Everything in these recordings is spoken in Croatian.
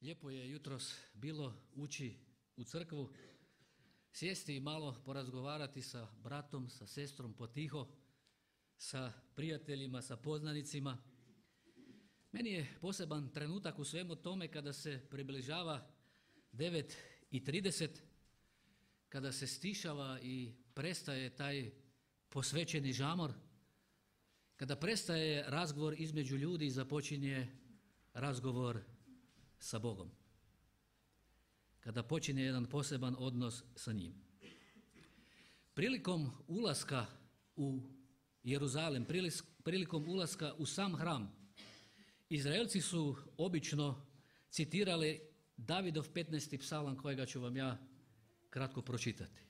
Lijepo je jutros bilo ući u crkvu, sjesti i malo porazgovarati sa bratom, sa sestrom potiho, sa prijateljima, sa poznanicima. Meni je poseban trenutak u svemu tome kada se približava 9:30, kada se stišava i prestaje taj posvećeni žamor, kada prestaje razgovor između ljudi i započinje razgovor sa Bogom, kada počinje jedan poseban odnos sa njim. Prilikom ulaska u Jeruzalem, prilikom ulaska u sam hram, Izraelci su obično citirali Davidov 15. psalam kojega ću vam ja kratko pročitati.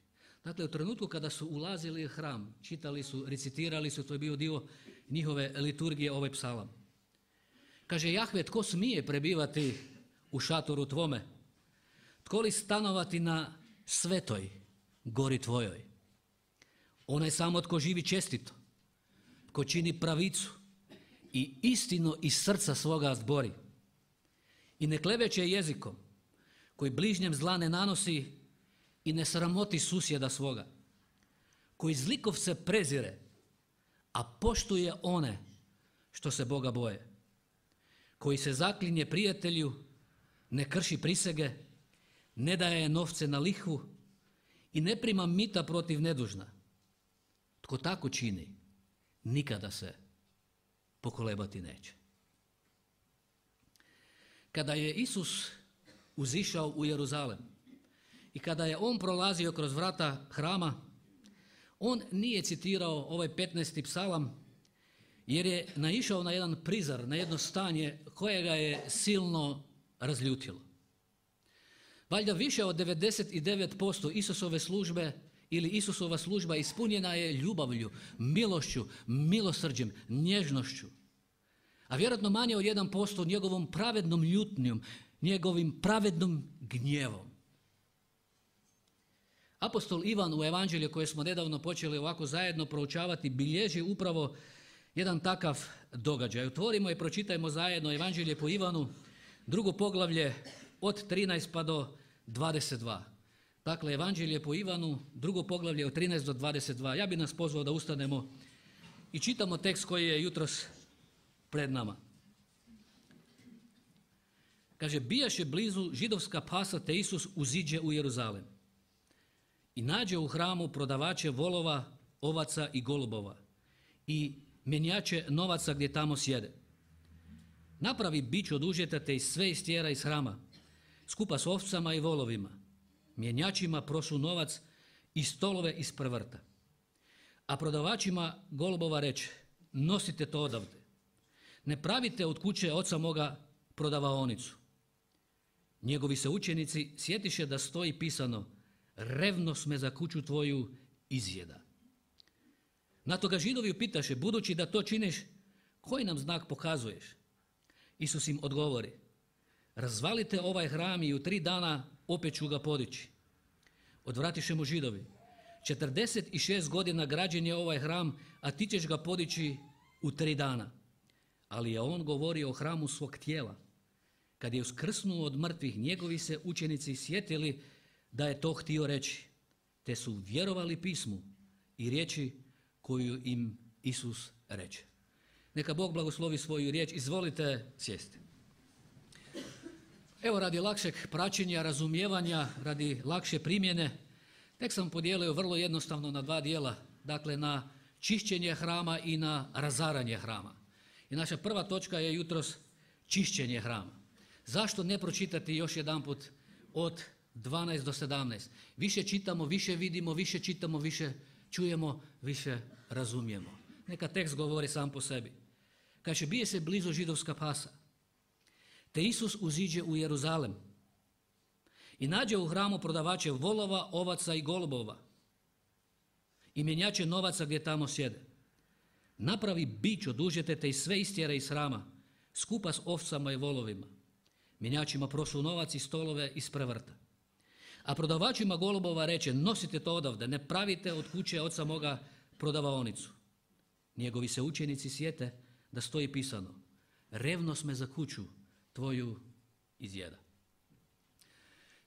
Dakle, u trenutku kada su ulazili u hram, čitali su, recitirali su, to je bio dio njihove liturgije, ovaj psalam. Kaže Jahve, tko smije prebivati u šatoru tvome? Tko li stanovati na svetoj gori tvojoj? Onaj samo tko živi čestito, tko čini pravicu i istinu iz srca svoga zbori i ne kleveće jezikom, koji bližnjem zla ne nanosi i ne sramoti susjeda svoga, koji zlikovce prezire, a poštuje one što se Boga boje, koji se zaklinje prijatelju, ne krši prisege, ne daje novce na lihvu i ne prima mita protiv nedužna. Tko tako čini, nikada se pokolebati neće. Kada je Isus uzišao u Jeruzalem i kada je on prolazio kroz vrata hrama, on nije citirao ovaj 15. psalam jer je naišao na jedan prizar, na jedno stanje koje ga je silno razljutilo. Valjda više od 99% Isusove službe ili Isusova služba ispunjena je ljubavlju, milošću, milosrđem, nježnošću. A vjerojatno manje od 1% njegovom pravednom ljutnjom, njegovim pravednom gnjevom. Apostol Ivan u evanđelju koje smo nedavno počeli ovako zajedno proučavati bilježi upravo jedan takav događaj. Otvorimo i pročitajmo zajedno evanđelje po Ivanu, drugo poglavlje od 13 pa do 22. Dakle, evanđelje po Ivanu, drugo poglavlje od 13 do 22. Ja bih nas pozvao da ustanemo i čitamo tekst koji je jutros pred nama. Kaže, bijaše blizu židovska Pasa, te Isus uziđe u Jeruzalem i nađe u hramu prodavače volova, ovaca i golubova i mjenjače novaca gdje tamo sjede. Napravi bić od užeta te sve istjera iz hrama, skupa s ovcama i volovima. Mjenjačima prosu novac i stolove iz prvrta. A prodavačima golubova reče, nosite to odavde. Ne pravite od kuće oca moga prodavaonicu. Njegovi se učenici sjetiše da stoji pisano, revnost me za kuću tvoju izjeda. Na to ga Židovi upitaše, budući da to činiš, koji nam znak pokazuješ? Isus im odgovori, razvalite ovaj hram i u 3 dana opet ću ga podići. Odvratiše mu Židovi, 46 godina građen je ovaj hram, a ti ćeš ga podići u 3 dana. Ali je on govorio o hramu svog tijela. Kad je uskrsnuo od mrtvih, njegovi se učenici sjetili da je to htio reći, te su vjerovali pismu i riječi koju im Isus reče. Neka Bog blagoslovi svoju riječ. Izvolite sjesti. Evo, radi lakšeg praćenja, razumijevanja, radi lakše primjene, tek sam podijelio vrlo jednostavno na 2 dijela, dakle na čišćenje hrama i na razaranje hrama. I naša prva točka je jutros čišćenje hrama. Zašto ne pročitati još jedanput od 12 do 17? Više čitamo, više vidimo, više čitamo, više čujemo, više razumijemo. Neka tekst govori sam po sebi. Kaže, bije se blizu židovska Pasa, te Isus uziđe u Jeruzalem i nađe u hramu prodavače volova, ovaca i golubova i mjenjače novaca gdje tamo sjede. Napravi bić od užete te i sve istjera iz hrama, skupa s ovcama i volovima. Mjenjačima prosu novac i stolove iz prevrta. A prodavačima golubova reče, nosite to odavde, ne pravite od kuće oca moga prodavaonicu. Njegovi se učenici sjete da stoji pisano, revnost me za kuću tvoju izjeda.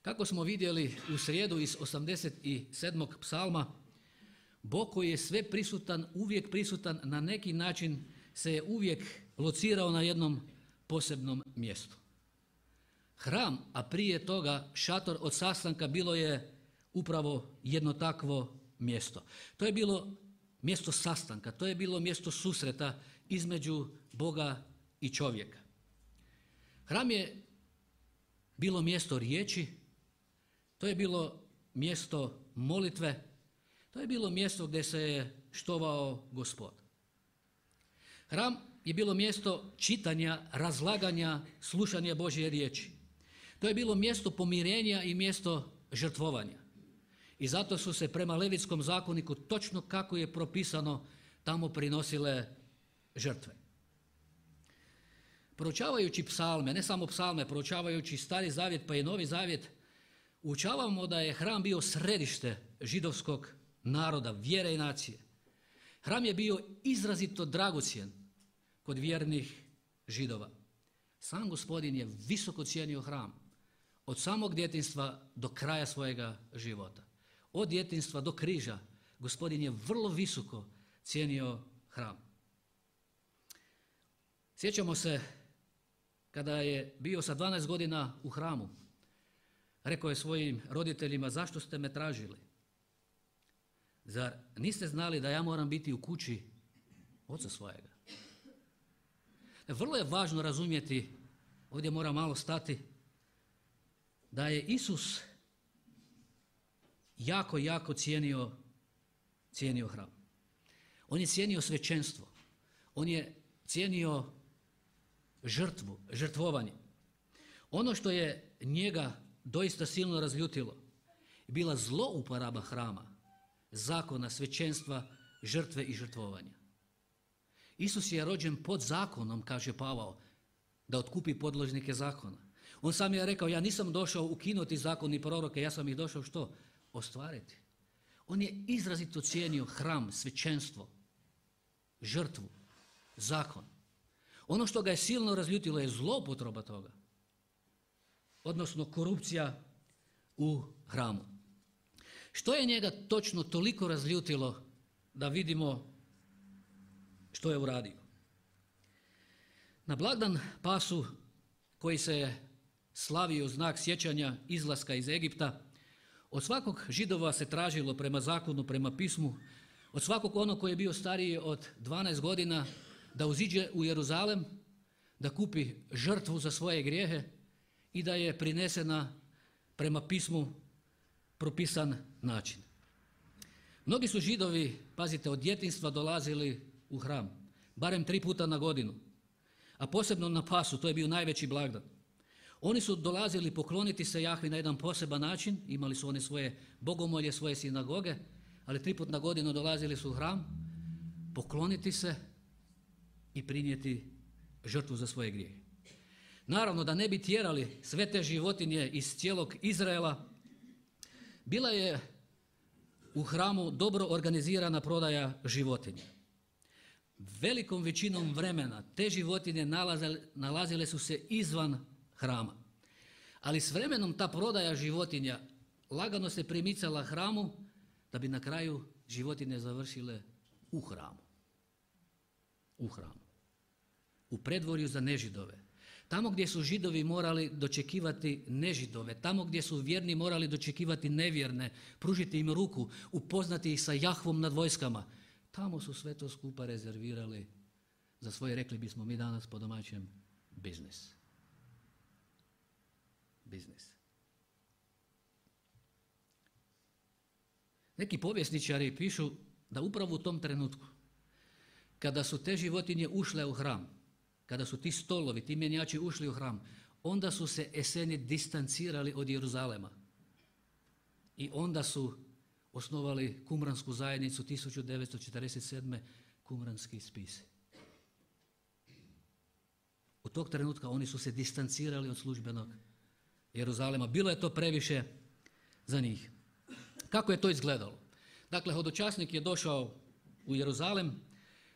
Kako smo vidjeli u srijedu iz 87. psalma, Bog koji je sve prisutan, uvijek prisutan, na neki način se je uvijek locirao na jednom posebnom mjestu. Hram, a prije toga šator od sastanka, bilo je upravo jedno takvo mjesto. To je bilo mjesto sastanka, to je bilo mjesto susreta između Boga i čovjeka. Hram je bilo mjesto riječi, to je bilo mjesto molitve, to je bilo mjesto gdje se je štovao Gospod. Hram je bilo mjesto čitanja, razlaganja, slušanja Božje riječi. To je bilo mjesto pomirenja i mjesto žrtvovanja. I zato su se prema Levitskom zakoniku, točno kako je propisano, tamo prinosile žrtve. Proučavajući psalme, ne samo psalme, proučavajući Stari zavjet pa i Novi zavjet, učavamo da je hram bio središte židovskog naroda, vjere i nacije. Hram je bio izrazito dragocjen kod vjernih Židova. Sam Gospodin je visoko cijenio hram, od samog djetinjstva do kraja svojega života. Od djetinjstva do križa Gospodin je vrlo visoko cijenio hram. Sjećamo se kada je bio sa 12 godina u hramu, rekao je svojim roditeljima: zašto ste me tražili? Zar niste znali da ja moram biti u kući oca svojega? Vrlo je važno razumjeti, ovdje moram malo stati, da je Isus jako cijenio hram. On je cijenio svećenstvo. On je cijenio žrtvu, žrtvovanje. Ono što je njega doista silno razljutilo je bila zlouporaba hrama, zakona, svećenstva, žrtve i žrtvovanja. Isus je rođen pod zakonom, kaže Pavao, da otkupi podložnike zakona. On sam je rekao: ja nisam došao ukinuti zakon i proroke, ja sam ih došao što? Ostvariti. On je izrazito cijenio hram, svećenstvo, žrtvu, zakon. Ono što ga je silno razljutilo je zloupotreba toga, odnosno korupcija u hramu. Što je njega točno toliko razljutilo da vidimo što je uradio? Na blagdan Pasu, koji se je slavio znak sjećanja izlaska iz Egipta, od svakog Židova se tražilo prema zakonu, prema pismu, od svakog onog koji je bio stariji od 12 godina, da uziđe u Jeruzalem, da kupi žrtvu za svoje grijehe i da je prinesena prema pismu propisan način. Mnogi su Židovi, pazite, od djetinjstva dolazili u hram, barem 3 puta na godinu, a posebno na Pasu, to je bio najveći blagdan. Oni su dolazili pokloniti se Jahvi na jedan poseban način, imali su one svoje bogomolje, svoje sinagoge, ali 3 puta na godinu dolazili su u hram, pokloniti se i prinijeti žrtvu za svoje grijehe. Naravno, da ne bi tjerali sve te životinje iz cijelog Izraela, bila je u hramu dobro organizirana prodaja životinja. Velikom većinom vremena te životinje nalazile su se izvan hrama. Ali s vremenom ta prodaja životinja lagano se primicala hramu, da bi na kraju životinje završile u hramu. U hramu. U predvorju za nežidove. Tamo gdje su Židovi morali dočekivati nežidove, tamo gdje su vjerni morali dočekivati nevjerne, pružiti im ruku, upoznati ih sa Jahvom nad vojskama, tamo su sve to skupa rezervirali za svoje, rekli bismo mi danas po domaćem, biznis. Biznis. Neki povjesničari pišu da upravo u tom trenutku, kada su te životinje ušle u hram, kada su ti stolovi, ti mjenjači ušli u hram, onda su se Eseni distancirali od Jeruzalema. I onda su osnovali kumransku zajednicu 1947. kumranski spis. U tog trenutka oni su se distancirali od službenog Jeruzalema. Bilo je to previše za njih. Kako je to izgledalo? Dakle, hodočasnik je došao u Jeruzalem,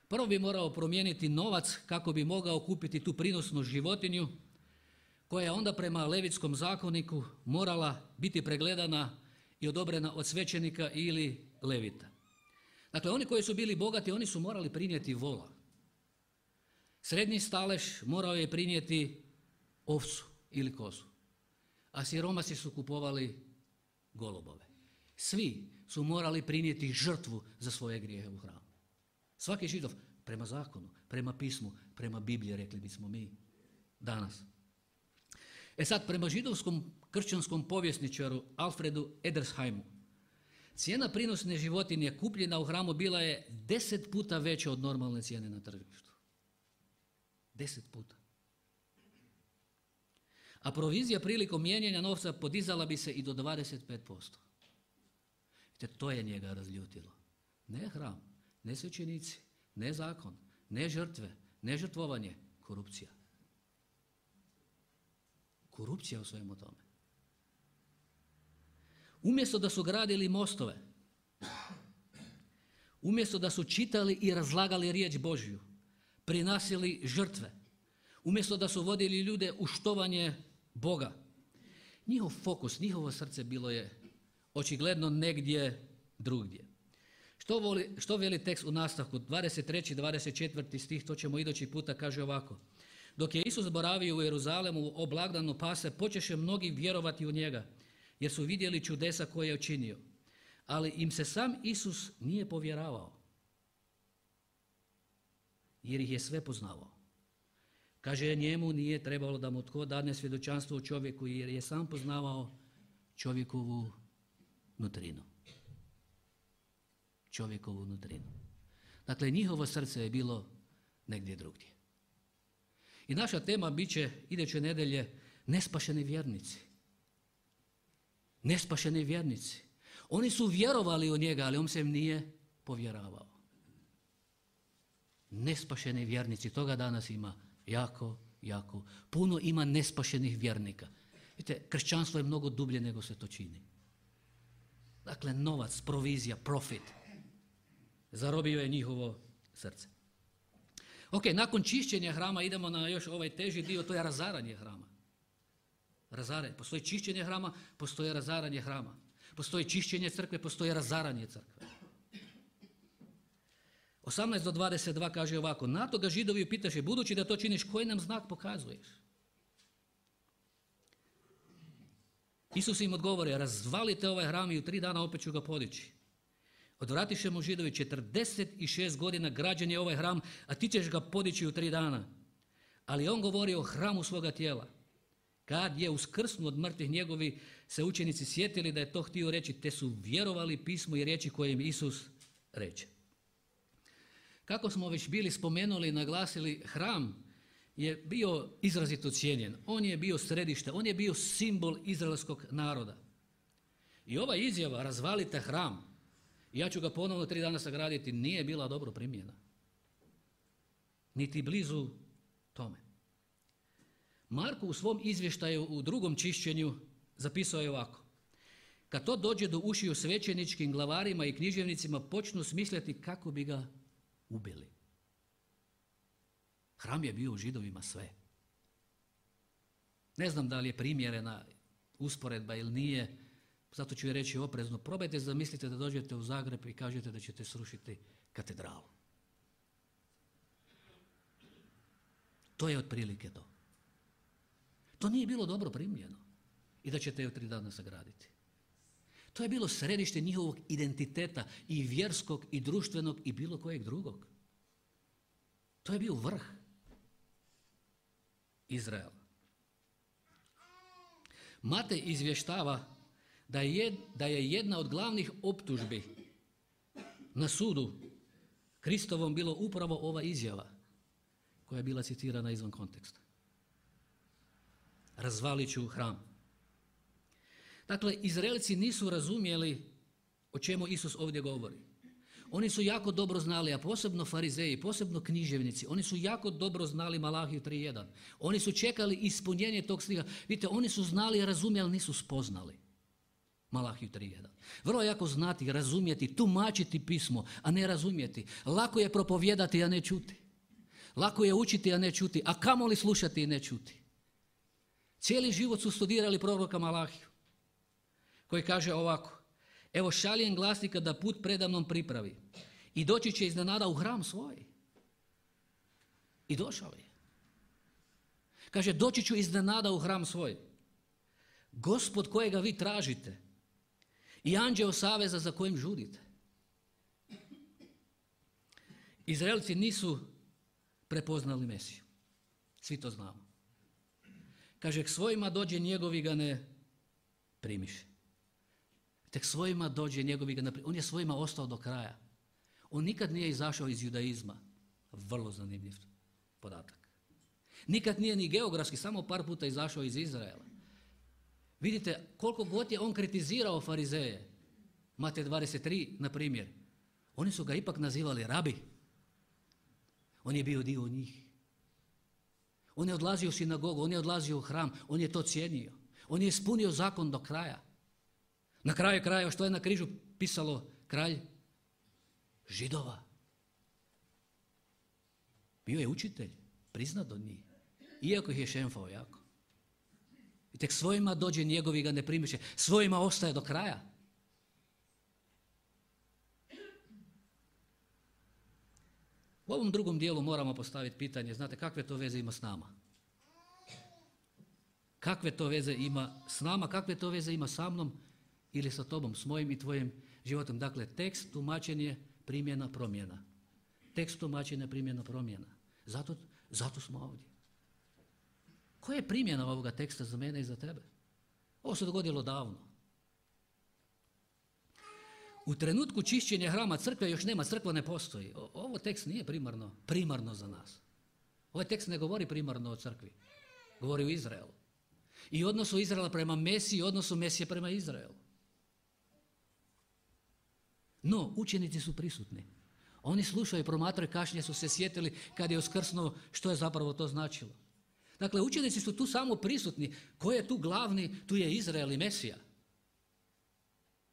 prvo bi morao promijeniti novac kako bi mogao kupiti tu prinosnu životinju koja je onda prema Levitskom zakoniku morala biti pregledana i odobrena od svećenika ili levita. Dakle, oni koji su bili bogati, oni su morali prinijeti vola. Srednji stalež morao je prinijeti ovcu ili kozu, a siromasi su kupovali golubove. Svi su morali prinijeti žrtvu za svoje grijehe u hramu. Svaki Židov, prema zakonu, prema pismu, prema Bibliji, rekli bismo mi danas. Sad, prema židovskom kršćanskom povjesničaru Alfredu Edersheimu, cijena prinosne životinje kupljena u hramu bila je 10 puta veća od normalne cijene na tržištu. 10 puta. A provizija prilikom mijenjanja novca podizala bi se i do 25%. To je njega razljutilo. Ne hram, ne svećenici, ne zakon, ne žrtve, ne žrtvovanje, korupcija. Korupcija u svemu tome. Umjesto da su gradili mostove, umjesto da su čitali i razlagali riječ Božju, prinosili žrtve, umjesto da su vodili ljude u štovanje Boga, njihov fokus, njihovo srce bilo je očigledno negdje drugdje. Što veli tekst u nastavku? 23. 24. stih, to ćemo idući puta, kaže ovako. Dok je Isus boravio u Jeruzalemu o blagdanu Pase, počeše mnogi vjerovati u njega, jer su vidjeli čudesa koje je učinio. Ali im se sam Isus nije povjeravao, jer ih je sve poznavao. Kaže, njemu nije trebalo da mu tko dadne svjedočanstvo o čovjeku, jer je sam poznavao čovjekovu nutrinu. Čovjekovu nutrinu. Dakle, njihovo srce je bilo negdje drugdje. I naša tema bit će iduće nedelje nespašeni vjernici. Nespašeni vjernici. Oni su vjerovali u njega, ali on se im nije povjeravao. Nespašeni vjernici, toga danas ima jako, jako. Puno ima nespašenih vjernika. Vidite, kršćanstvo je mnogo dublje nego se to čini. Dakle, novac, provizija, profit zarobio je njihovo srce. Ok, nakon čišćenja hrama idemo na još ovaj teži dio, to je razaranje hrama. Razaranje. Postoji čišćenje hrama, postoji razaranje hrama. Postoji čišćenje crkve, postoji razaranje crkve. 18 do 22 kaže ovako, na to ga Židovi upitaše, budući da to činiš, koji nam znak pokazuješ? Isus im odgovori, razvalite ovaj hram i u 3 dana opet ću ga podići. Odvratiše mu Židovi, 46 godina građen je ovaj hram, a ti ćeš ga podići u 3 dana. Ali on govori o hramu svoga tijela. Kad je uskrsnuo od mrtvih, njegovi se učenici sjetili da je to htio reći, te su vjerovali pismu i riječi koje im Isus reče. Kako smo već bili spomenuli i naglasili, hram je bio izrazito cijenjen. On je bio središte, on je bio simbol izraelskog naroda. I ova izjava, razvalite hram, ja ću ga ponovno 3 dana sagraditi, nije bila dobro primljena. Niti blizu tome. Marko u svom izvještaju u 2. čišćenju zapisao je ovako. Kad to dođe do ušiju svećeničkim glavarima i književnicima, počnu smišljati kako bi ga ubili. Hram je bio u Židovima sve. Ne znam da li je primjerena usporedba ili nije, zato ću je reći oprezno. Probajte zamislite da dođete u Zagreb i kažete da ćete srušiti katedralu. To je otprilike to. To nije bilo dobro primljeno i da ćete je u 3 dana sagraditi. To je bilo središte njihovog identiteta i vjerskog i društvenog i bilo kojeg drugog. To je bio vrh Izraela. Matej izvještava da je jedna od glavnih optužbi na sudu Kristovom bilo upravo ova izjava koja je bila citirana izvan konteksta. Razvalit ću hram. Dakle, Izraelci nisu razumjeli o čemu Isus ovdje govori. Oni su jako dobro znali, a posebno farizeji, posebno književnici, oni su jako dobro znali Malahiju 3.1. Oni su čekali ispunjenje tog stiha. Vidite, oni su znali i razumjeli, ali nisu spoznali Malahiju 3.1. Vrlo je jako znati, razumjeti, tumačiti pismo, a ne razumjeti. Lako je propovijedati, a ne čuti. Lako je učiti, a ne čuti, a kamoli slušati i ne čuti. Cijeli život su studirali proroka Malahiju, koji kaže ovako: evo šaljem glasnika da put predamnom pripravi i doći će iznenada u hram svoj. I došao je. Kaže, doći ću iznenada u hram svoj. Gospod kojega vi tražite i anđeo saveza za kojim žudite. Izraelci nisu prepoznali Mesiju. Svi to znamo. Kaže, k svojima dođe, njegovi ga ne primiše. Tek svojima dođe, njegovi ga ne primiše. On je svojima ostao do kraja. On nikad nije izašao iz judaizma. Vrlo zanimljiv podatak. Nikad nije ni geografski, samo par puta izašao iz Izraela. Vidite, koliko god je on kritizirao farizeje, Matej 23, na primjer, oni su ga ipak nazivali rabi. On je bio dio njih. On je odlazio u sinagogu, on je odlazio u hram, on je to cijenio. On je ispunio zakon do kraja. Na kraju kraja, što je na križu pisalo kralj Židova. Bio je učitelj, priznat od njih, iako ih je šemfao jako. I tek svojima dođe, njegovi ga ne primiše, svojima ostaje do kraja. U ovom drugom dijelu moramo postaviti pitanje, znate, kakve to veze ima s nama? Kakve to veze ima s nama, kakve to veze ima sa mnom ili sa tobom, s mojim i tvojim životom? Dakle, tekst, tumačenje, primjena, promjena. Tekst, tumačenje, primjena, promjena. Zato smo ovdje. Koja je primjena ovoga teksta za mene i za tebe? Ovo se dogodilo davno. U trenutku čišćenja hrama crkve još nema, crkva ne postoji. Ovo tekst nije primarno za nas. Ovaj tekst ne govori primarno o crkvi. Govori o Izraelu. I odnosu Izraela prema Mesiji, odnosu Mesije prema Izraelu. No, učenici su prisutni. Oni slušaju, promatraju, kasnije su se sjetili kad je uskrsnuo što je zapravo to značilo. Dakle, učenici su tu samo prisutni. Ko je tu glavni? Tu je Izrael i Mesija.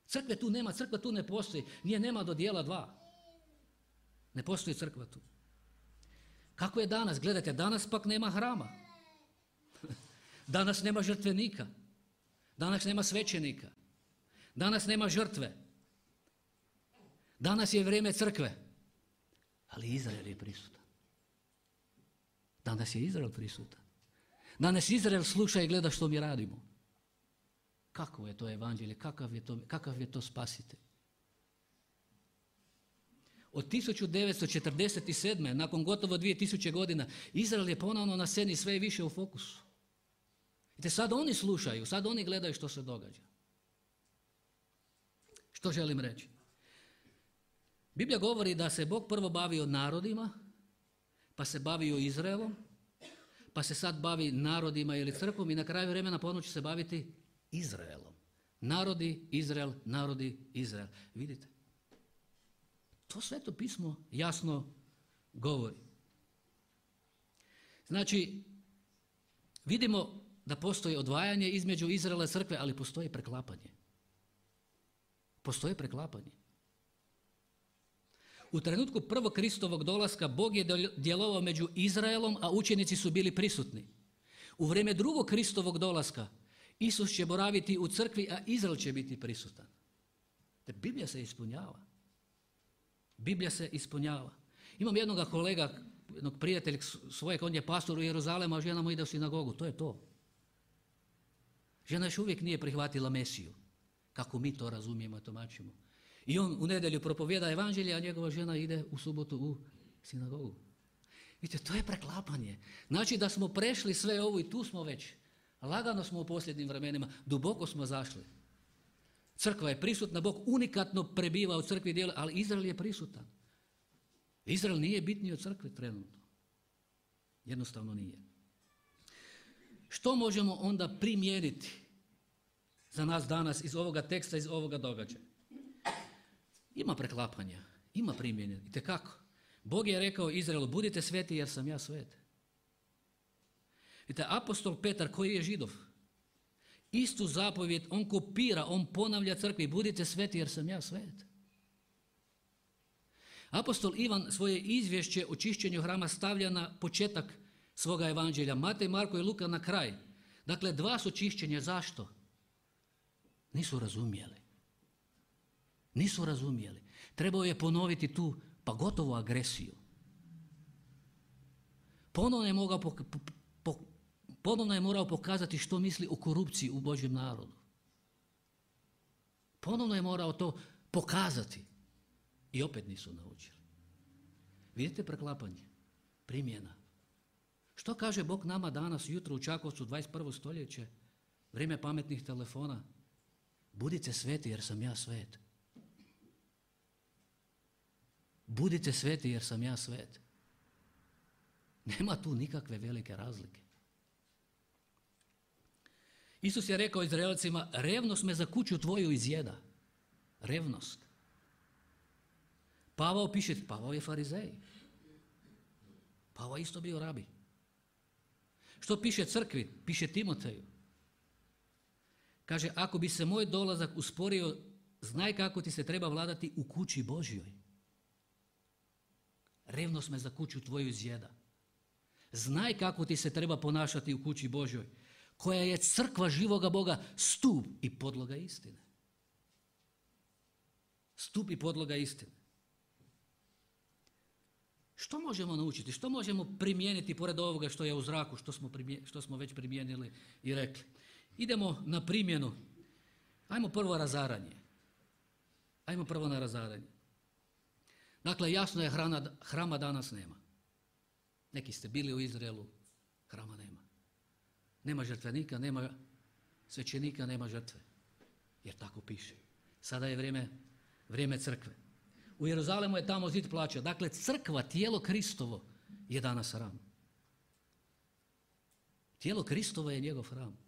Crkve tu nema, crkva tu ne postoji. Nije nema do dijela 2. Ne postoji crkva tu. Kako je danas? Gledajte, danas pak nema hrama. Danas nema žrtvenika. Danas nema svećenika. Danas nema žrtve. Danas je vrijeme crkve. Ali Izrael je prisutan. Danas je Izrael prisutan. Danas Izrael sluša i gleda što mi radimo. Kakvo je to evanđelje, kakav je to spasitelj. Od 1947. nakon gotovo 2000 godina, Izrael je ponovno na sceni sve više u fokusu. I sad oni slušaju, sad oni gledaju što se događa. Što želim reći? Biblija govori da se Bog prvo bavio narodima, pa se bavio Izraelom, pa se sad bavi narodima ili crkvom i na kraju vremena ponovno će se baviti Izraelom. Narodi, Izrael, narodi, Izrael. Vidite? To Sveto pismo jasno govori. Znači, vidimo da postoji odvajanje između Izraela i crkve, ali postoji preklapanje. Postoji preklapanje. U trenutku prvog Kristovog dolaska Bog je djelovao među Izraelom, a učenici su bili prisutni. U vrijeme drugog Kristovog dolaska Isus će boraviti u crkvi, a Izrael će biti prisutan. Te Biblija se ispunjava. Biblija se ispunjava. Imam jednog kolega, jednog prijatelja svojeg, on je pastor u Jeruzalemu, a žena mu ide u sinagogu. To je to. Žena još uvijek nije prihvatila Mesiju, kako mi to razumijemo i tumačimo. I on u nedjelju propovjeda evanđelje, a njegova žena ide u subotu u sinagogu. Vidite, to je preklapanje. Znači da smo prešli sve ovo i tu smo već. Lagano smo u posljednjim vremenima, duboko smo zašli. Crkva je prisutna, Bog unikatno prebiva u crkvi dijela, ali Izrael je prisutan. Izrael nije bitniji od crkve trenutno. Jednostavno nije. Što možemo onda primijeniti za nas danas iz ovoga teksta, iz ovoga događaja? Ima preklapanja, ima primjenja. Itekako. Bog je rekao Izraelu, budite sveti jer sam ja svet. Vidite, apostol Petar koji je Židov, istu zapovjed on kopira, on ponavlja crkvi, budite sveti jer sam ja svet. Apostol Ivan svoje izvješće o čišćenju hrama stavlja na početak svoga evanđelja. Matej, Marko i Luka na kraj. Dakle, 2 su čišćenja. Zašto? Nisu razumjeli. Nisu razumjeli. Trebao je ponoviti tu, pa gotovo agresiju. Ponovno je morao pokazati što misli o korupciji u Božjem narodu. Ponovno je morao to pokazati. I opet nisu naučili. Vidite preklapanje, primjena. Što kaže Bog nama danas, jutro u Čakovcu, 21. stoljeće, vrijeme pametnih telefona? Budite sveti jer sam ja svet. Budite sveti jer sam ja svet. Nema tu nikakve velike razlike. Isus je rekao Izraelcima, revnost me za kuću tvoju izjeda. Revnost. Pavao je farizej. Pavao je isto bio rabi. Što piše crkvi? Piše Timoteju. Kaže, ako bi se moj dolazak usporio, znaj kako ti se treba vladati u kući Božjoj. Revnost me za kuću tvoju izjeda. Znaj kako ti se treba ponašati u kući Božjoj, koja je crkva živoga Boga, stup i podloga istine. Stup i podloga istine. Što možemo naučiti? Što možemo primijeniti pored ovoga što je u zraku, što smo već primijenili i rekli? Idemo na primjenu. Ajmo prvo razaranje. Ajmo prvo na razaranje. Dakle, jasno je, hrama danas nema. Neki ste bili u Izraelu, hrama nema. Nema žrtvenika, nema svećenika, nema žrtve. Jer tako piše. Sada je vrijeme crkve. U Jeruzalemu je tamo zid plaća. Dakle, crkva, tijelo Kristovo je danas hram. Tijelo Kristovo je njegov hram.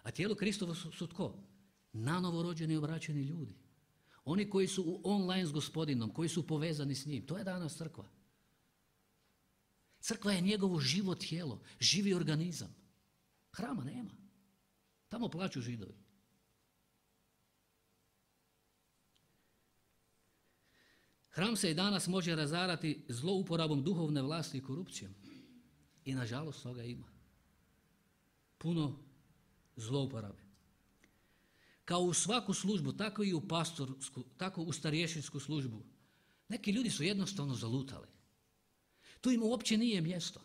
A tijelo Kristovo su tko? Nanovo rođeni i obraćeni ljudi. Oni koji su u online s Gospodinom, koji su povezani s njim. To je danas crkva. Crkva je njegovo živo tijelo, živi organizam. Hrama nema. Tamo plaću Židovi. Hram se i danas može razarati zlouporabom duhovne vlasti i korupcijom. I nažalost toga ima. Puno zlouporabe. Kao u svaku službu, tako i u pastorsku, tako u starješinsku službu. Neki ljudi su jednostavno zalutali. Tu im uopće nije mjesto.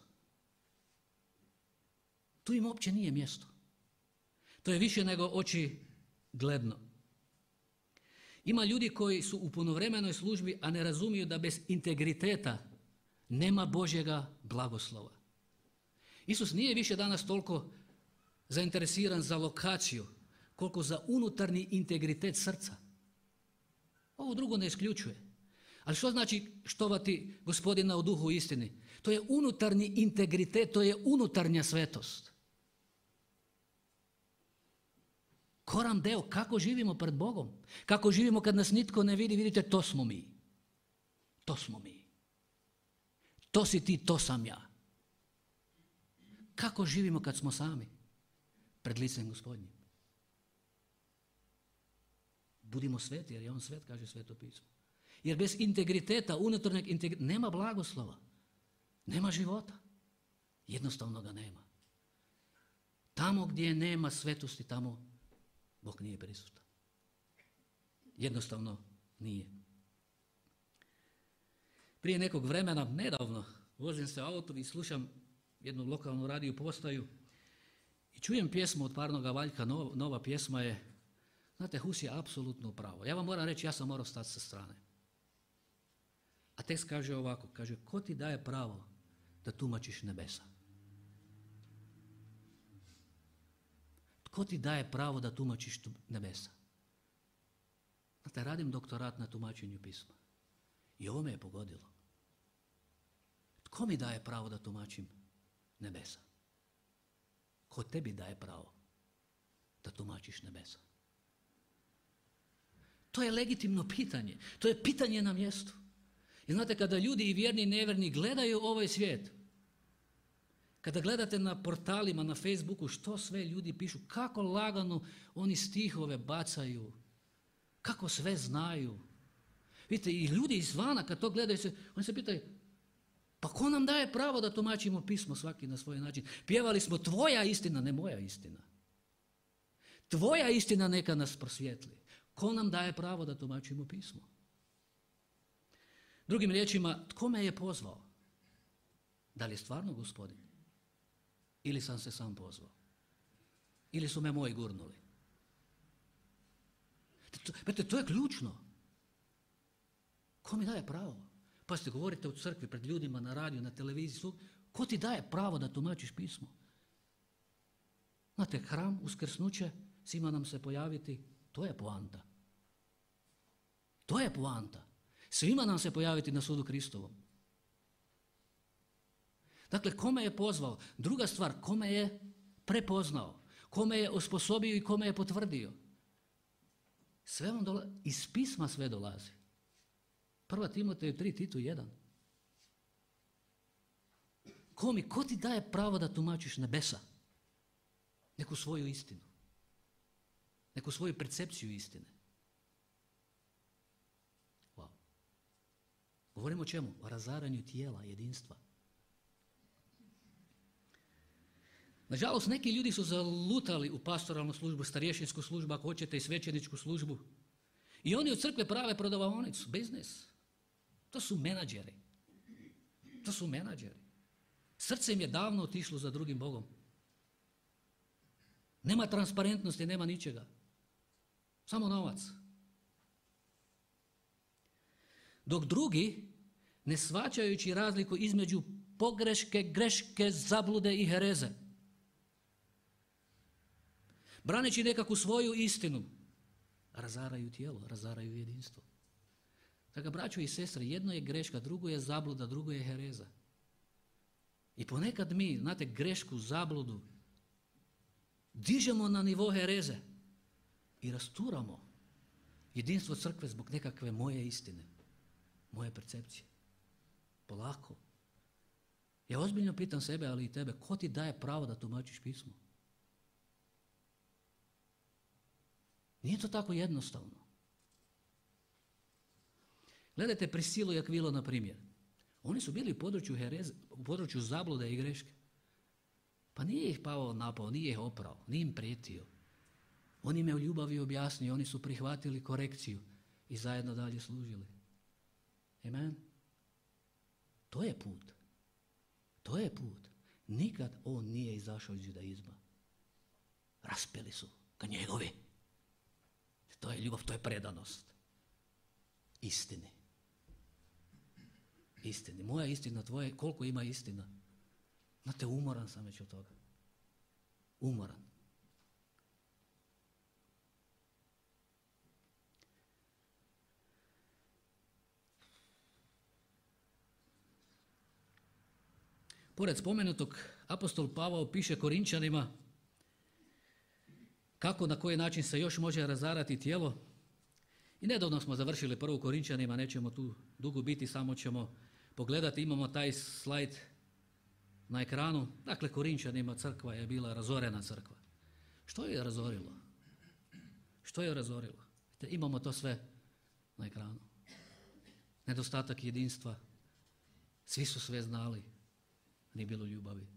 Tu im uopće nije mjesto. To je više nego očigledno. Ima ljudi koji su u punovremenoj službi, a ne razumiju da bez integriteta nema Božjega blagoslova. Isus nije više danas toliko zainteresiran za lokaciju, koliko za unutarnji integritet srca. Ovo drugo ne isključuje. Ali što znači štovati Gospodina u duhu i istini? To je unutarnji integritet, to je unutarnja svetost. Koran deo, kako živimo pred Bogom? Kako živimo kad nas nitko ne vidi? Vidite, to smo mi. To smo mi. To si ti, to sam ja. Kako živimo kad smo sami? Pred licem Gospodnjim. Budimo sveti, jer je on svet, kaže Sveto pismo. Jer bez integriteta, unutarnjeg integriteta, nema blagoslova. Nema života. Jednostavno ga nema. Tamo gdje nema svetosti, tamo Bog nije prisutan. Jednostavno nije. Prije nekog vremena, nedavno, vozim se u autu i slušam jednu lokalnu radio postaju i čujem pjesmu od Parnoga Valjka, nova pjesma je, znate, Hus je apsolutno pravo. Ja vam moram reći, ja sam morao stati sa strane. A tekst kaže ovako, kaže, ko ti daje pravo da tumačiš nebesa? Tko ti daje pravo da tumačiš nebesa? Znate, radim doktorat na tumačenju pisma. I ovo me je pogodilo. Tko mi daje pravo da tumačim nebesa? Ko tebi daje pravo da tumačiš nebesa? To je legitimno pitanje. To je pitanje na mjestu. I znate, kada ljudi i vjerni i nevjerni gledaju ovaj svijet, kada gledate na portalima, na Facebooku, što sve ljudi pišu, kako lagano oni stihove bacaju, kako sve znaju. Vidite, i ljudi izvana kad to gledaju, oni se pitaju, pa ko nam daje pravo da tumačimo pismo svaki na svoj način? Pjevali smo tvoja istina, ne moja istina. Tvoja istina neka nas prosvijetli. Ko nam daje pravo da tumačimo pismo? Drugim riječima, tko me je pozvao? Da li je stvarno Gospodin? Ili sam se sam pozvao? Ili su me moji gurnuli? To je ključno. Ko mi daje pravo? Pa ste govorite u crkvi, pred ljudima, na radiju, na televiziji. Ko ti daje pravo da tumačiš pismo? Znate, hram, uskrsnuće, svima nam se pojaviti, to je poanta. To je poanta. Svima nam se pojaviti na sudu Kristovom. Dakle, kome je pozvao? Druga stvar, kome je prepoznao? Kome je osposobio i kome je potvrdio? Sve vam dolazi, iz pisma sve dolazi. 1. Timoteju 3, Titu 1. Ko ti daje pravo da tumačiš nebesa? Neku svoju istinu. Neku svoju percepciju istine. Wow. Govorimo o čemu? O razaranju tijela, jedinstva. Nažalost, neki ljudi su zalutali u pastoralnu službu, starješinsku službu, ako hoćete i svećeničku službu. I oni od crkve prave prodavaonicu, biznis. To su menadžeri. To su menadžeri. Srce im je davno otišlo za drugim Bogom. Nema transparentnosti, nema ničega. Samo novac. Dok drugi, ne shvaćajući razliku između pogreške, greške, zablude i hereze, braneći nekakvu svoju istinu, razaraju tijelo, razaraju jedinstvo. Dakle, braćo i sestre, jedno je greška, drugo je zabluda, drugo je hereza. I ponekad mi, znate, grešku, zabludu, dižemo na nivo hereze i rasturamo jedinstvo crkve zbog nekakve moje istine, moje percepcije. Polako. Ja ozbiljno pitam sebe, ali i tebe, ko ti daje pravo da tumačiš pismo? Nije to tako jednostavno. Gledajte Prisilu i Akvilo, na primjer. Oni su bili u području zablude i greške. Pa nije ih Pavao napao, nije ih oprao, nije im prijetio. On im je u ljubavi objasnio, oni su prihvatili korekciju i zajedno dalje služili. Amen. To je put. To je put. Nikad on nije izašao iz judaizma. Raspeli su ga njegovi. To je ljubav, to je predanost. Istini. Istini. Moja istina, tvoje, koliko ima istina? Znate, umoran sam već od toga. Umoran. Pored spomenutog, apostol Pavao piše Korinčanima kako, na koji način se još može razarati tijelo. I nedavno smo završili prvu Korinčanima, nećemo tu dugo biti, samo ćemo pogledati, imamo taj slajd na ekranu. Dakle, Korinčanima crkva je bila razorena crkva. Što je razorilo? Što je razorilo? Imamo to sve na ekranu. Nedostatak jedinstva. Svi su sve znali. Nije bilo ljubavi.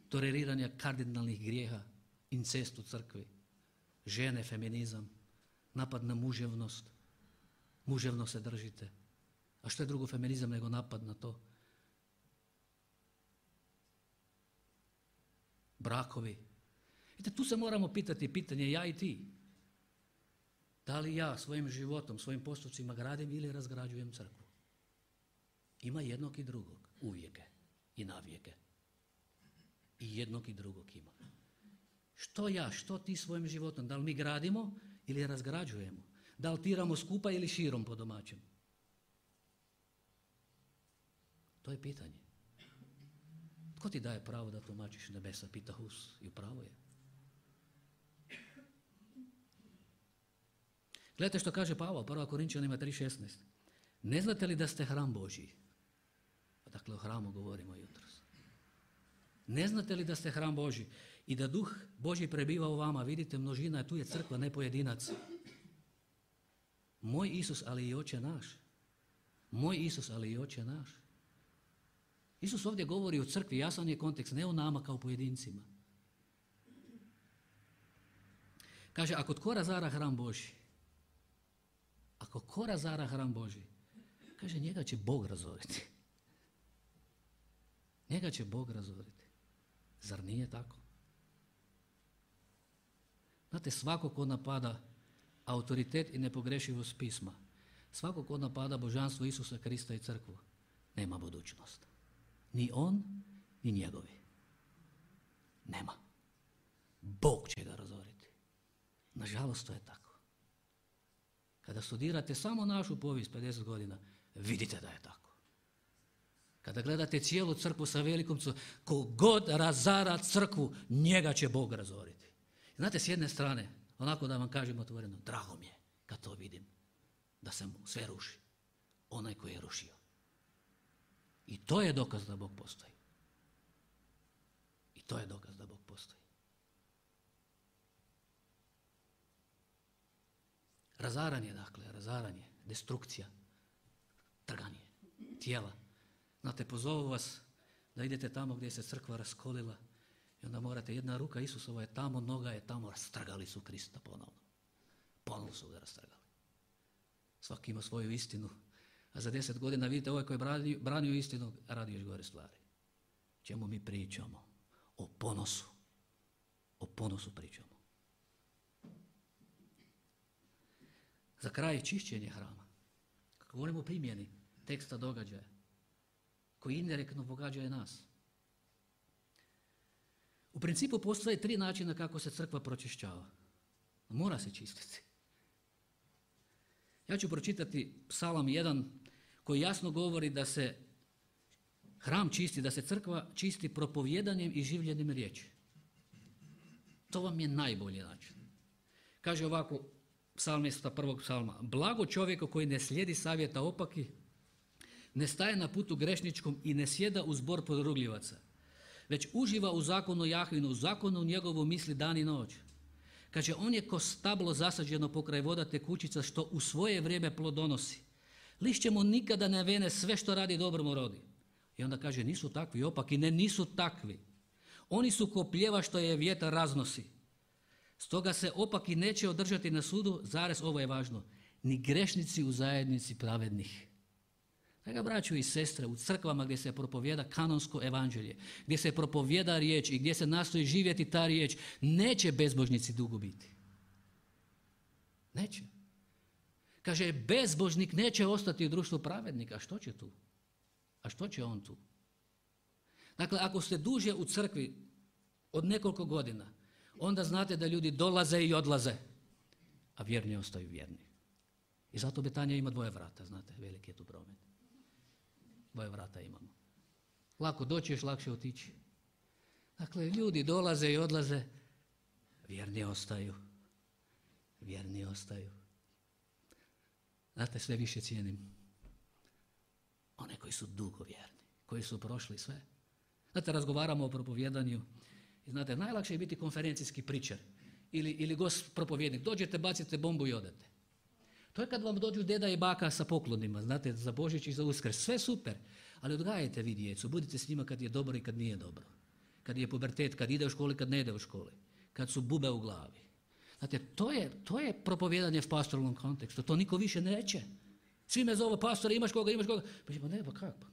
Toleriranja kardinalnih grijeha, incest u crkvi, žene, feminizam, napad na muževnost. Muževno se držite. A što je drugo feminizam nego napad na to? Brakovi. Vidite, tu se moramo pitati pitanje ja i ti. Da li ja svojim životom, svojim postupcima gradim ili razgrađujem crkvu? Ima jednog i drugog, uvijek i navijeke. I jednog i drugog ima. Što ja, što ti svojim životom? Da li mi gradimo ili razgrađujemo? Da li tiramo skupa ili širom po domaćem? To je pitanje. Tko ti daje pravo da tumačiš nebesa? Pita Hus i upravo je. Gledajte što kaže Pavao, 1. Korinčanima 3.16. Ne znate li da ste hram Božji? Dakle, o hramu govorimo jutros. Ne znate li da ste hram Božji i da duh Božji prebiva u vama? Vidite, množina, tu je crkva, ne pojedinac. Moj Isus, ali i Oče naš. Moj Isus, ali i Oče naš. Isus ovdje govori o crkvi, jasan je kontekst, ne o nama kao pojedincima. Kaže, ako tko razara hram Božji, ako ko razara hram Božji, kaže, njega će Bog razoriti. Njega će Bog razoriti. Zar nije tako? Znate, svako ko napada autoritet i nepogrešivost pisma, svako ko napada božanstvo Isusa Krista i crkvu, nema budućnost. Ni on, ni njegovi. Nema. Bog će ga razoriti. Nažalost, to je tako. Kada studirate samo našu povijest 50 godina, vidite da je tako. Kada gledate cijelu crkvu sa velikom crkvom, kogod razara crkvu, njega će Bog razoriti. Znate, s jedne strane, onako da vam kažem otvoreno, drago mi je kad to vidim, da se mu sve ruši. Onaj koji je rušio. I to je dokaz da Bog postoji. I to je dokaz da Bog postoji. Razaranje, dakle, razaranje, destrukcija, trganje tijela. Znate, pozovu vas da idete tamo gdje se crkva raskolila i onda morate, jedna ruka Isusova je tamo, noga je tamo, rastrgali su Krista ponovno. Ponovno su ga rastrgali. Svaki ima svoju istinu, a za 10 godina vidite ovaj koji je branio istinu, radi još gore stvari. Čemu mi pričamo? O ponosu. O ponosu pričamo. Za kraj čišćenje hrama. Kako govorimo o primjeni teksta događaja, koji indirektno pogađaju nas. U principu postoje 3 načina kako se crkva pročišćava. Mora se čistiti. Ja ću pročitati Psalam 1 koji jasno govori da se hram čisti, da se crkva čisti propovjedanjem i življenjem riječi. To vam je najbolji način. Kaže ovako psalmista prvog psalma: blago čovjeku koji ne slijedi savjeta opaki, ne staje na putu grešničkom i ne sjeda u zbor podrugljivaca, već uživa u zakonu Jahvinu, u zakonu njegovu misli dan i noć. Kaže, on je ko stablo zasađeno pokraj voda tekućica što u svoje vrijeme plodonosi. Lišće mu nikada ne vene, sve što radi dobro mu rodi. I onda kaže, nisu takvi opaki, ne, nisu takvi. Oni su ko pljeva što je vjetar raznosi. Stoga se opaki neće održati na sudu, zarez, ovo je važno, ni grešnici u zajednici pravednih. Draga braćo i sestre, u crkvama gdje se propovjeda kanonsko evanđelje, gdje se propovjeda riječ i gdje se nastoji živjeti ta riječ, neće bezbožnici dugo biti. Neće. Kaže, bezbožnik neće ostati u društvu pravednika. A što će tu? A što će on tu? Dakle, ako ste duže u crkvi od nekoliko godina, onda znate da ljudi dolaze i odlaze, a vjerni ostaju vjerni. I zato Betanja ima 2 vrata, znate, veliki je tu promet. 2 vrata imamo. Lako doći, još lakše otići. Dakle, ljudi dolaze i odlaze, vjerni ostaju. Vjerni ostaju. Znate, sve više cijenim one koji su dugo vjerni, koji su prošli sve. Znate, razgovaramo o propovjedanju i znate, najlakše je biti konferencijski pričar ili gost propovjednik. Dođete, bacite bombu i odete. To je kad vam dođu deda i baka sa poklonima, znate, za Božić i za Uskrs. Sve super, ali odgajajte vi djecu, budite s njima kad je dobro i kad nije dobro. Kad je pubertet, kad ide u školi, kad ne ide u školi. Kad su bube u glavi. Znate, to je propovjedanje v pastoralnom kontekstu, to niko više neće. Svi me zovu pastore, imaš koga? Pa ne, pa kako?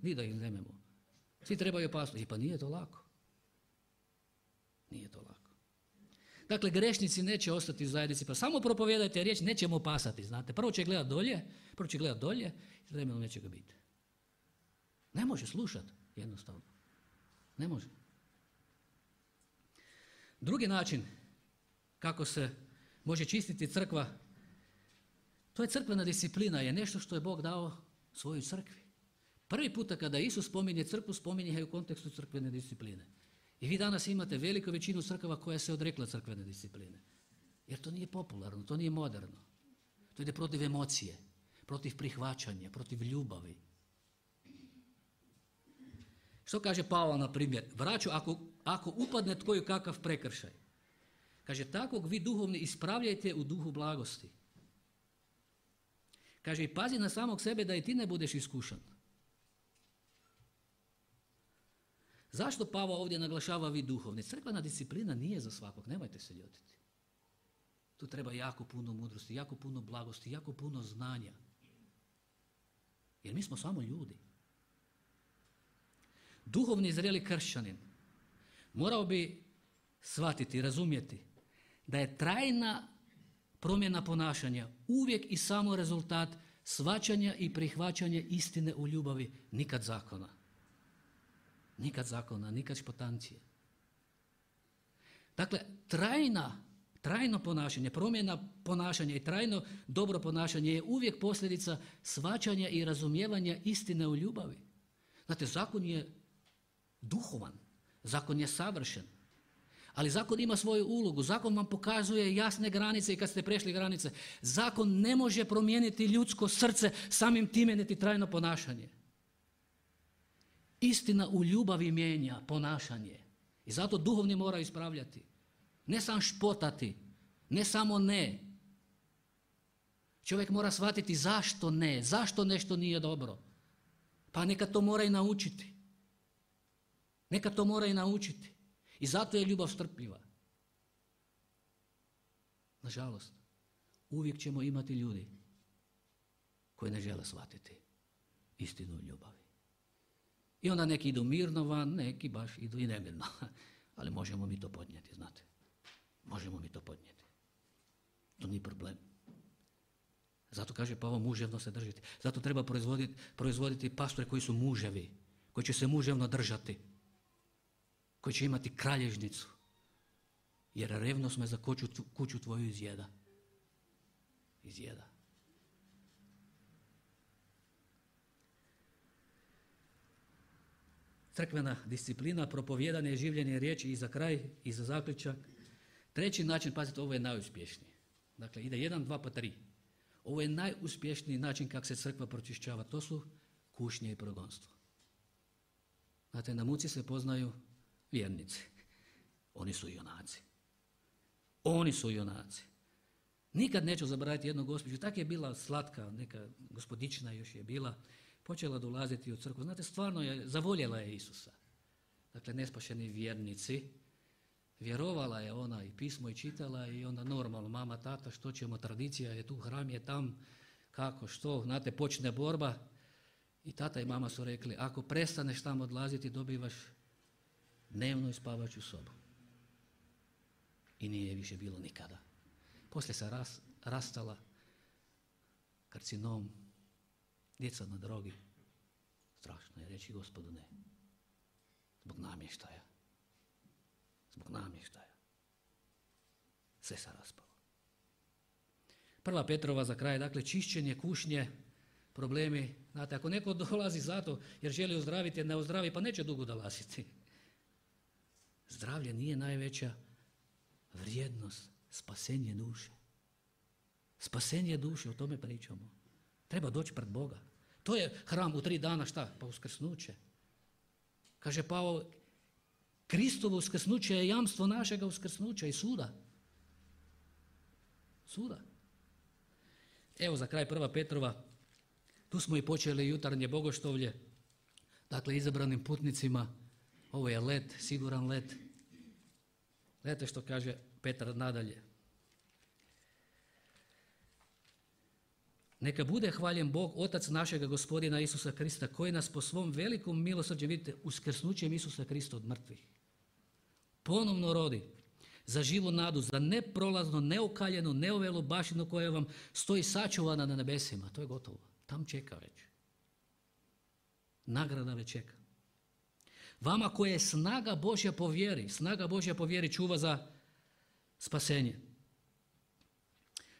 Ni da ih nemamo. Svi trebaju pastori. Pa nije to lako. Nije to lako. Dakle, grešnici neće ostati u zajednici, pa samo propovijedajte riječ, nećemo pasati, znate. Prvo će gledati dolje i vremenom neće ga biti. Ne može slušati, jednostavno. Ne može. Drugi način kako se može čistiti crkva, to je crkvena disciplina, je nešto što je Bog dao svojoj crkvi. Prvi puta kada Isus spominje crkvu, spominje je u kontekstu crkvene discipline. I vi danas imate veliku većinu crkava koja se odrekla crkvene discipline. Jer to nije popularno, to nije moderno. To ide protiv emocije, protiv prihvaćanja, protiv ljubavi. Što kaže Pavao, na primjer? Braćo, ako upadne tko kakav prekršaj, kaže, takvog vi duhovni ispravljajte u duhu blagosti. Kaže, i pazi na samog sebe da i ti ne budeš iskušan. Zašto Pavao ovdje naglašava vi duhovni? Crkvena disciplina nije za svakog, nemojte se ljutiti. Tu treba jako puno mudrosti, jako puno blagosti, jako puno znanja. Jer mi smo samo ljudi. Duhovni zreli kršćanin morao bi shvatiti, razumjeti da je trajna promjena ponašanja uvijek i samo rezultat shvaćanja i prihvaćanja istine u ljubavi, nikad zakona. Nikad zakona, nikad špotancije. Dakle, trajno ponašanje, promjena ponašanja i trajno dobro ponašanje je uvijek posljedica shvaćanja i razumijevanja istine u ljubavi. Znate, zakon je duhovan, zakon je savršen, ali zakon ima svoju ulogu, zakon vam pokazuje jasne granice i kad ste prešli granice. Zakon ne može promijeniti ljudsko srce, samim time niti trajno ponašanje. Istina u ljubavi mijenja ponašanje i zato duhovni mora ispravljati. Ne sam špotati, ne samo ne. Čovjek mora shvatiti zašto ne, zašto nešto nije dobro. Pa neka to mora i naučiti. Neka to mora i naučiti. I zato je ljubav strpljiva. Nažalost, uvijek ćemo imati ljudi koji ne žele shvatiti istinu u ljubavi. I onda neki idu mirno van, neki baš idu i nemirno. Ali možemo mi to podnijeti, znate. Možemo mi to podnijeti. To nije problem. Zato kaže Pavao, muževno se držite. Zato treba proizvoditi pastore koji su muževi, koji će se muževno držati, koji će imati kralježnicu. Jer revnost me za kuću tvoju izjeda. Izjeda. Crkvena disciplina, propovijedanje, življenje riječi i za kraj i za zaključak. Treći način, pazite, ovo je najuspješniji. Dakle, ide 1, 2 pa 3. Ovo je najuspješniji način kako se crkva pročišćava. To su kušnje i progonstvo. Znate, na muci se poznaju vjernici. Oni su junaci. Oni su junaci. Nikad neću zaboraviti jednu gospođu. Tak je bila slatka, neka gospodična još je bila. Počela dolaziti u crkvu. Znate, stvarno je, zavoljela je Isusa. Dakle, nespašeni vjernici. Vjerovala je ona i pismo i čitala i onda normalno, mama, tata, što ćemo, tradicija je tu, hram je tam, kako, što, znate, počne borba. I tata i mama su rekli, ako prestaneš tamo odlaziti, dobivaš dnevnu i spavaću sobu. I nije je više bilo nikada. Poslije se rastala, karcinom, djeca na drogi. Strašno je reći Gospodu ne. Zbog namještaja. Zbog namještaja. Sve se raspalo. 1. Petrova za kraj, dakle, čišćenje, kušnje, problemi. Znate, ako neko dolazi zato jer želi ozdraviti, ne ozdravi, pa neće dugo dolaziti. Zdravlje nije najveća vrijednost, spasenje duše. Spasenje duše, o tome pričamo. Treba doći pred Boga. To je hram u 3 dana, šta? Pa uskrsnuće. Kaže Pavao, Kristovo uskrsnuće je jamstvo našega uskrsnuća i suda. Suda. Evo za kraj 1. Petrova, tu smo i počeli jutarnje bogoštovlje, dakle izabranim putnicima, ovo je let, siguran let. Gledajte što kaže Petar nadalje. Neka bude hvaljen Bog, Otac našega Gospodina Isusa Krista, koji nas po svom velikom milosrđu, vidite, uskrsnućem Isusa Krista od mrtvih, ponovno rodi za živu nadu, za neprolazno, neokaljenu, neovelu baštinu koja vam stoji sačuvana na nebesima. To je gotovo. Tam čeka već. Nagrada već čeka. Vama koje je snaga Božja po vjeri čuva za spasenje.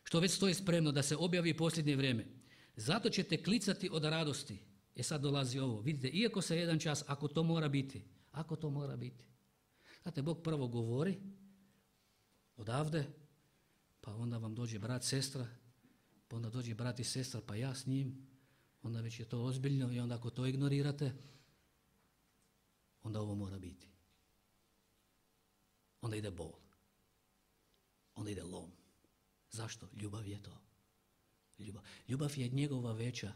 Što već stoji spremno da se objavi posljednje vrijeme. Zato ćete klicati od radosti. Sad dolazi ovo. Vidite, iako se jedan čas, ako to mora biti. Znate, Bog prvo govori odavde, pa onda vam dođe brat, sestra, pa onda dođe brat i sestra, pa ja s njim, onda već je to ozbiljno i onda ako to ignorirate, onda ovo mora biti. Onda ide bol. Onda ide lom. Zašto? Ljubav je to. Ljubav je njegova veća.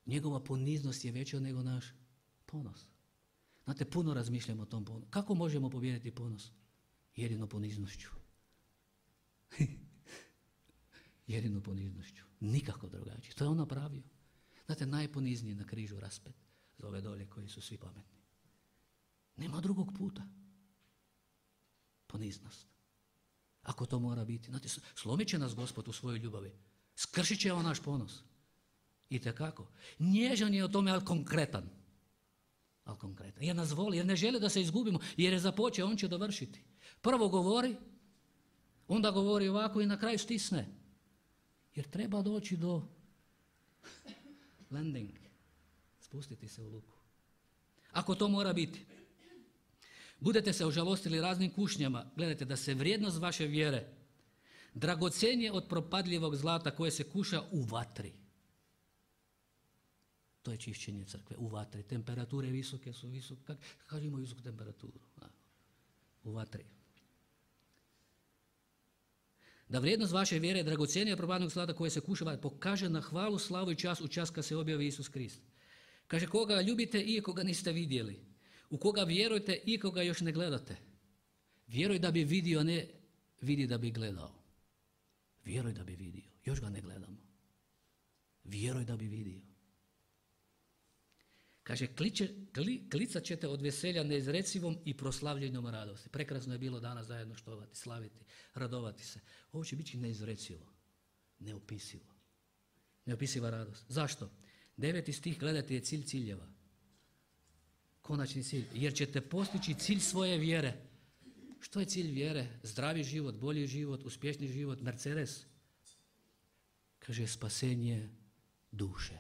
Njegova poniznost je veća nego naš ponos. Znate, puno razmišljamo o tom ponosu. Kako možemo pobijediti ponos? Jedino poniznošću. Jedino poniznošću. Nikako drugačije. To je on napravio. Znate, najponizniji na križu raspet za ove dolje koji su svi pametni. Nema drugog puta. Poniznost. Ako to mora biti. Znate, slomit će nas Gospod u svojoj ljubavi. Skršit će on naš ponos. Itekako. Nježan je o tome, ali konkretan. Jer nas voli, jer ne želi da se izgubimo, jer je započeo, on će dovršiti. Prvo govori, onda govori ovako i na kraju stisne. Jer treba doći do landing. Spustiti se u luku. Ako to mora biti. Budete se ožalostili raznim kušnjama, gledajte da se vrijednost vaše vjere dragocjenije od propadljivog zlata koje se kuša u vatri. To je čišćenje crkve, u vatri. Temperature visoke su visoke. Kako imaju visoku temperaturu? U vatri. Da vrijednost vaše vjere je dragocjenija od propadljivoga zlata koje se kuša u vatri. Pokaže na hvalu, slavu i čast u čas kad se objavi Isus Krist. Kaže, koga ljubite i koga niste vidjeli. U koga vjerujete i koga još ne gledate. Vjeruj da bi vidio, a ne vidi da bi gledao. Vjeruj da bi vidio. Još ga ne gledamo. Vjeruj da bi vidio. Kaže, klicat ćete od veselja neizrecivom i proslavljenom radosti. Prekrasno je bilo danas zajedno štovati, slaviti, radovati se. Ovo će biti neizrecivo, neopisivo. Neopisiva radost. Zašto? 9. stih, gledajte, je cilj ciljeva. Konačni cilj. Jer ćete postići cilj svoje vjere. Što je cilj vjere? Zdravi život, bolji život, uspješni život, Mercedes. Kaže, spasenje duše.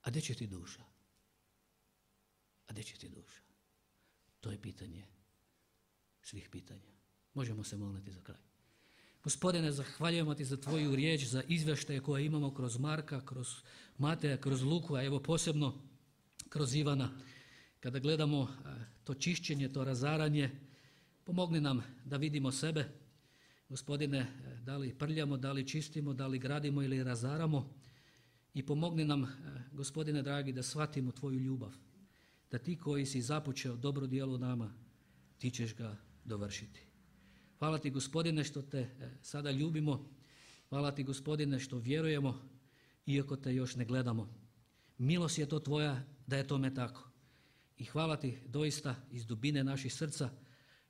A gdje će ti duša? A gdje će ti duša? To je pitanje svih pitanja. Možemo se moliti za kraj. Gospodine, zahvaljujemo ti za tvoju riječ, za izvještaje koje imamo kroz Marka, kroz Mateja, kroz Luku, a evo posebno kroz Ivana. Kada gledamo to čišćenje, to razaranje, pomogni nam da vidimo sebe. Gospodine, da li prljamo, da li čistimo, da li gradimo ili razaramo. I pomogni nam, Gospodine dragi, da shvatimo tvoju ljubav. Da ti koji si započeo dobro djelo u nama, ti ćeš ga dovršiti. Hvala ti, Gospodine, što te sada ljubimo. Hvala ti, Gospodine, što vjerujemo, iako te još ne gledamo. Milost je to tvoja da je tome tako. I hvala ti doista iz dubine naših srca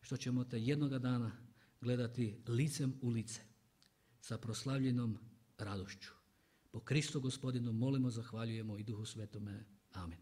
što ćemo te jednoga dana gledati licem u lice sa proslavljenom radošću. Po Kristu Gospodinu molimo, zahvaljujemo i Duhu Svetome. Amen.